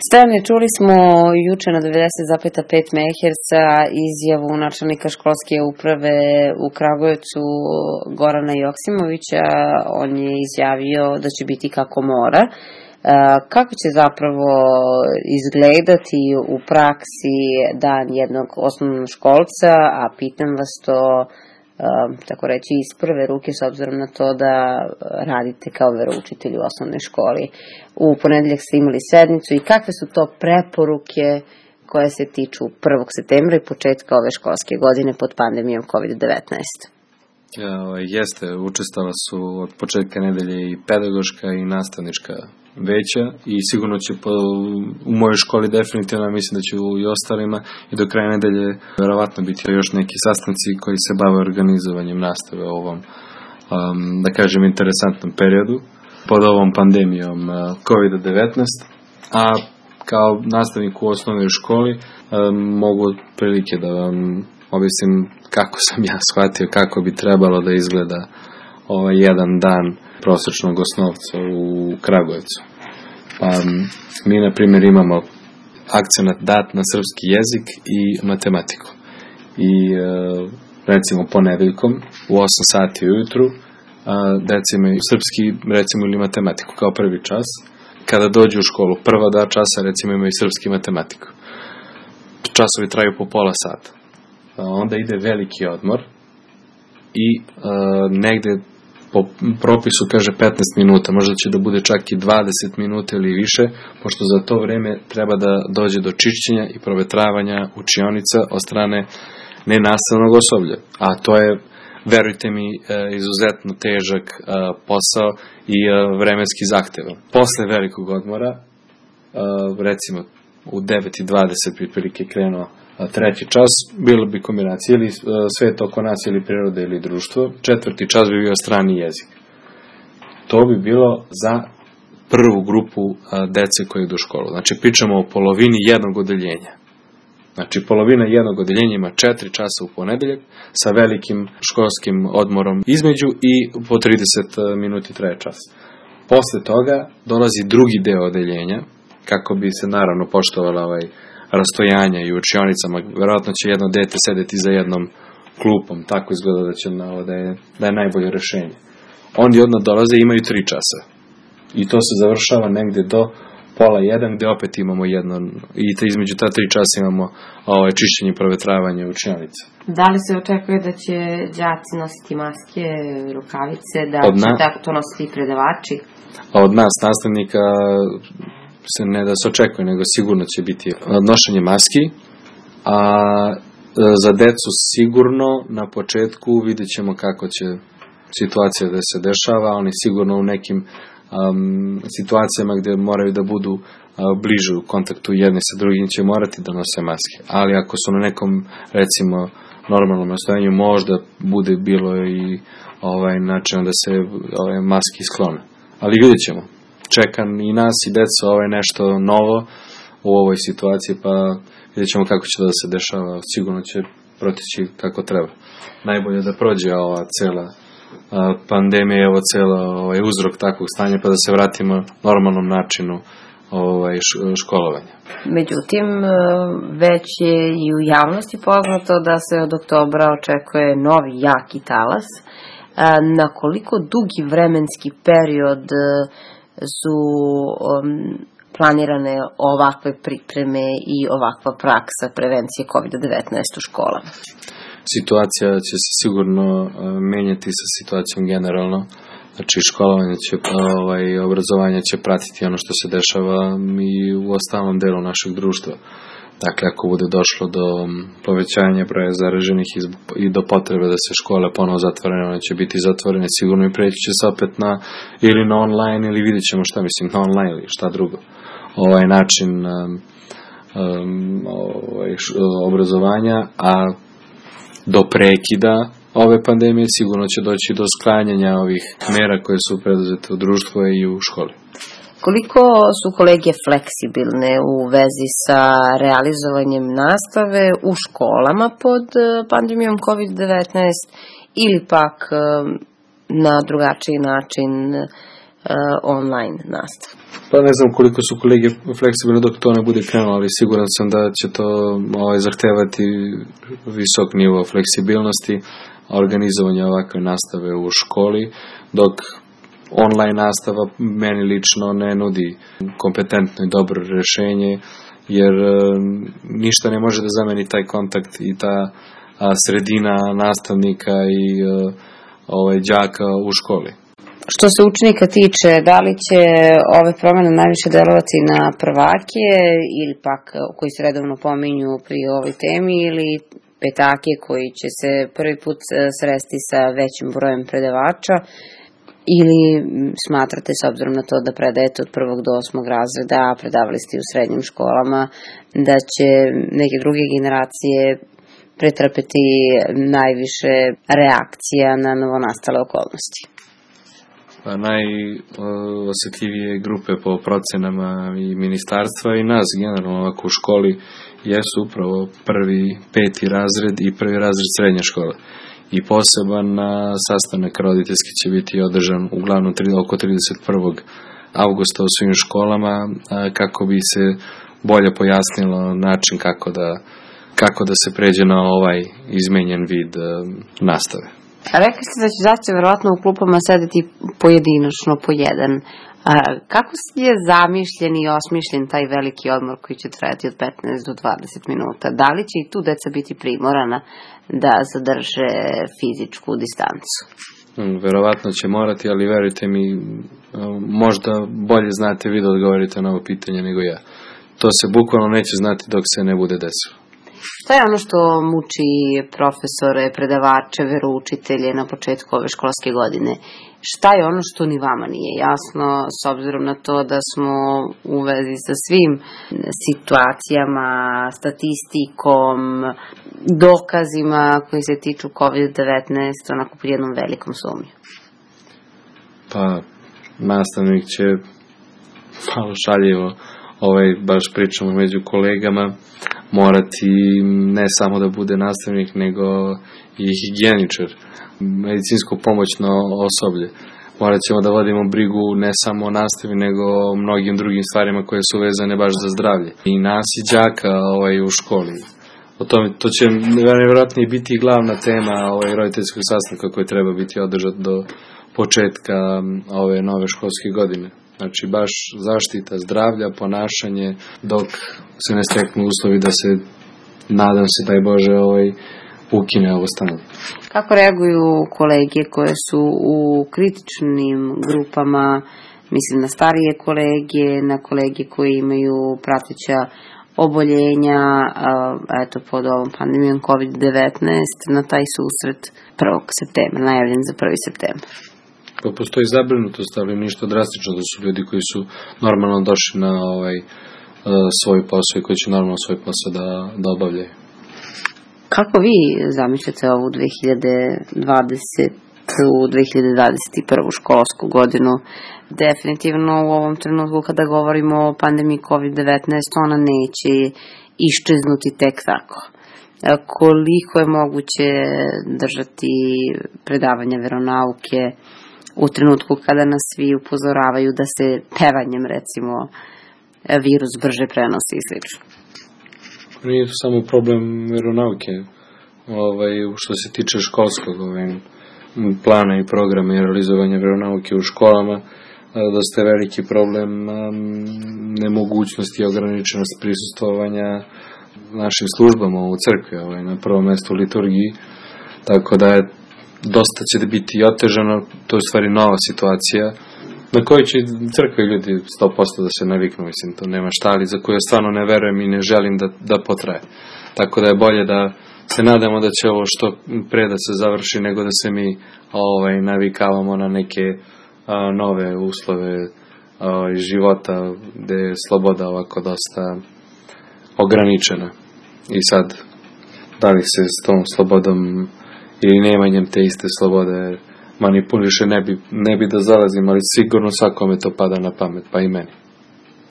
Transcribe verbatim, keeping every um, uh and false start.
Stojane, čuli smo juče na devedeset zarez pet megaherca izjavu načelnika školske uprave u Kragujevcu Gorana Joksimovića. On je izjavio da će biti kako mora. Kako će zapravo izgledati u praksi dan jednog osnovnoškolca, a pitam vas to tako reći iz prve ruke s obzirom na to da radite kao veroučitelj u osnovnoj školi. U ponedeljak ste imali sednicu i kakve su to preporuke koje se tiču prvog septembra i početka ove školske godine pod pandemijom kovid devetnaest? Jeste, učestala su od početka nedelje i pedagoška i nastavnička veća i sigurno će po, u mojoj školi definitivno, mislim da će i ostalima i do kraja nedelje verovatno biti još neki sastanci koji se bave organizovanjem nastave u ovom, um, da kažem, interesantnom periodu pod ovom pandemijom uh, kovid devetnaest, a kao nastavnik u osnovnoj školi um, mogu prilike da vam objasnim kako sam ja shvatio kako bi trebalo da izgleda ovaj jedan dan prosječnog osnovca u Kragujevcu. Pa mi, na primjer, imamo akcenat dat na srpski jezik i matematiku. I recimo ponedeljkom u osam sati ujutru deca imaju srpski, recimo, ili matematiku kao prvi čas. Kada dođu u školu, prva dva časa, recimo, imaju srpski i matematiku. Časovi traju po pola sata. Onda ide veliki odmor i negde po propisu kaže petnaest minuta, možda će da bude čak i dvadeset minuta ili više, pošto za to vreme treba da dođe do čišćenja i provetravanja učionica od strane nenastavnog osoblja. A to je, verujte mi, izuzetno težak posao i vremenski zahtevan. Posle velikog odmora, recimo u devet i dvadeset bi prilike krenuo treći čas, bilo bi kombinacija ili svet oko nas ili priroda ili društvo, četvrti čas bi bio strani jezik. To bi bilo za prvu grupu dece koji idu u školu. Znači pričamo o polovini jednog odeljenja. Znači polovina jednog odeljenja ima četiri časa u ponedeljak sa velikim školskim odmorom između i po trideset minuti traje čas. Posle toga dolazi drugi deo odeljenja, kako bi se naravno poštovala ovaj rastojanja i u učionicama, verovatno će jedno dete sedeti za jednom klupom, tako izgleda da, će, da, je, da je najbolje rešenje. Oni odmah dolaze i imaju tri časa. I to se završava negde do pola jedan, gde opet imamo jedno, i te, između ta tri časa imamo ovaj, čišćenje i provetravanje učionica. Da li se očekuje da će đaci nositi maske, rukavice, da od će na... tako to nositi predavači? Od nas, nastavnika, se ne da se očekuje, nego sigurno će biti nošenje maski, a za decu sigurno na početku vidjet ćemo kako će situacija da se dešava, oni sigurno u nekim um, situacijama gde moraju da budu uh, bliže u kontaktu jedni sa drugim će morati da nose maske, ali ako su na nekom, recimo, normalnom nastojanju, možda bude bilo i ovaj način da se ovaj, maski sklone, ali vidjet ćemo. Čekam i nas i deca ovaj nešto novo u ovoj situaciji, pa vidjet ćemo kako će to da se dešava. Sigurno će proteći kako treba. Najbolje da prođe ova cela pandemija i ovo celo ovaj, uzrok takvog stanja, pa da se vratimo normalnom načinu ovaj, školovanja. Međutim, već je i u javnosti poznato da se od oktobra očekuje novi jaki talas. Na koliko dugi vremenski period su um, planirane ovakve pripreme i ovakva praksa prevencije kovid devetnaest u školama? Situacija će se sigurno uh, menjati sa situacijom generalno. Znači školovanje će, ovaj, obrazovanje će pratiti ono što se dešava i u ostalom delu našeg društva. Dakle, ako bude došlo do povećanja broja zaraženih i do potrebe da se škole ponovo zatvorene, one će biti zatvorene, sigurno i preći će se opet na, ili na online, ili vidjet ćemo šta mislim, na online ili šta drugo. Ovaj način um, ovaj, obrazovanja, a do prekida ove pandemije sigurno će doći do sklanjanja ovih mera koje su preduzete u društvu i u školi. Koliko su kolege fleksibilne u vezi sa realizovanjem nastave u školama pod pandemijom kovid devetnaest ili pak na drugačiji način online nastavu? Pa ne znam koliko su kolege fleksibilni dok to ne bude krenulo, ali siguran sam da će to ovaj, zahtevati visok nivo fleksibilnosti, organizovanja ovakve nastave u školi, dok online nastava meni lično ne nudi kompetentno i dobro rešenje, jer e, ništa ne može da zameni taj kontakt i ta a, sredina nastavnika i e, ovaj, đaka u školi. Što se učenika tiče, da li će ove promene najviše delovati na prvake ili pak koji se redovno pominju pri ovoj temi ili petake koji će se prvi put sresti sa većim brojem predavača, ili smatrate, s obzirom na to da predajete od prvog do osmog razreda, a predavali ste u srednjim školama, da će neke druge generacije pretrpeti najviše reakcija na novonastale okolnosti? Pa najosetljivije grupe po procenama i ministarstva i nas generalno ovako u školi jesu upravo prvi, peti razred i prvi razred srednje škole. I poseban sastanak roditeljski će biti održan uglavnom oko trideset prvog avgusta u svim školama kako bi se bolje pojasnilo način kako da, kako da se pređe na ovaj izmenjen vid nastave. Rekli ste da će zaći verovatno u klupama sedeti pojedinačno po jedan. A, kako je zamišljen i osmišljen taj veliki odmor koji će trajati od petnaest do dvadeset minuta? Da li će i tu deca biti primorana da zadrže fizičku distancu? Hmm, verovatno će morati, ali verujte mi, možda bolje znate vi da odgovorite na ovo pitanje nego ja. To se bukvalno neće znati dok se ne bude desilo. Šta je ono što muči profesore, predavače, veroučitelje na početku ove školske godine? Šta je ono što ni vama nije jasno, s obzirom na to da smo u vezi sa svim situacijama, statistikom, dokazima koji se tiču kovid devetnaest, onako pod jednom velikom sumnju? Pa, nastavnik će malo šaljivo, ovaj, baš pričamo među kolegama, morati ne samo da bude nastavnik, nego i higijeničar, medicinsko pomoćno osoblje. Morat ćemo da vodimo brigu ne samo o nastavi, nego o mnogim drugim stvarima koje su vezane baš za zdravlje. I nas i đaka ovaj, u školi. O tome, to će nevjerojatno biti i glavna tema ovaj, roditeljskog sastanka koji treba biti održat do početka ove nove školske godine. Znači baš zaštita zdravlja, ponašanje, dok se ne steknu uslovi da se, nadam se, daj Bože, ovaj, ukine ovo stanje. Kako reaguju kolege koje su u kritičnim grupama, mislim na starije kolege, na kolege koji imaju prateća oboljenja, eto pod ovom pandemijom kovid devetnaest, na taj susret prvog septembra, najavljen za prvi septembar? Pa postoji zabrinutost, ali ništa drastično, da su ljudi koji su normalno došli na ovaj svoj posao i koji će normalno svoj posao da, da obavljaju. Kako vi zamišljate ovu dve hiljade dvadesete dve hiljade dvadeset prvu školsku godinu? Definitivno u ovom trenutku kada govorimo o pandemiji kovid devetnaest, ona neće iščeznuti tek tako. Koliko je moguće držati predavanja veronauke u trenutku kada nas svi upozoravaju da se pevanjem, recimo, virus brže prenosi i slično? Nije to samo problem veronauke, ovaj, što se tiče školskog ovaj, plana i programa i realizovanja veronauke u školama, dosta je veliki problem um, nemogućnosti i ograničenost prisustvovanja našim službama u crkvi, ovaj, na prvom mestu u liturgiji, tako da je dosta će da biti otežano, to je u stvari nova situacija, na kojoj će crkve ljudi sto posto da se naviknu, mislim, to nema šta, ali za koju ja stvarno ne verujem i ne želim da, da potraje. Tako da je bolje da se nadamo da će ovo što pre da se završi, nego da se mi ovaj, navikavamo na neke a, nove uslove a, života, gde je sloboda ovako dosta ograničena. I sad, da li se s tom slobodom ili nemanjem te iste slobode manipuliše, ne bi, ne bi da zalazim, ali sigurno svakome to pada na pamet, pa i meni.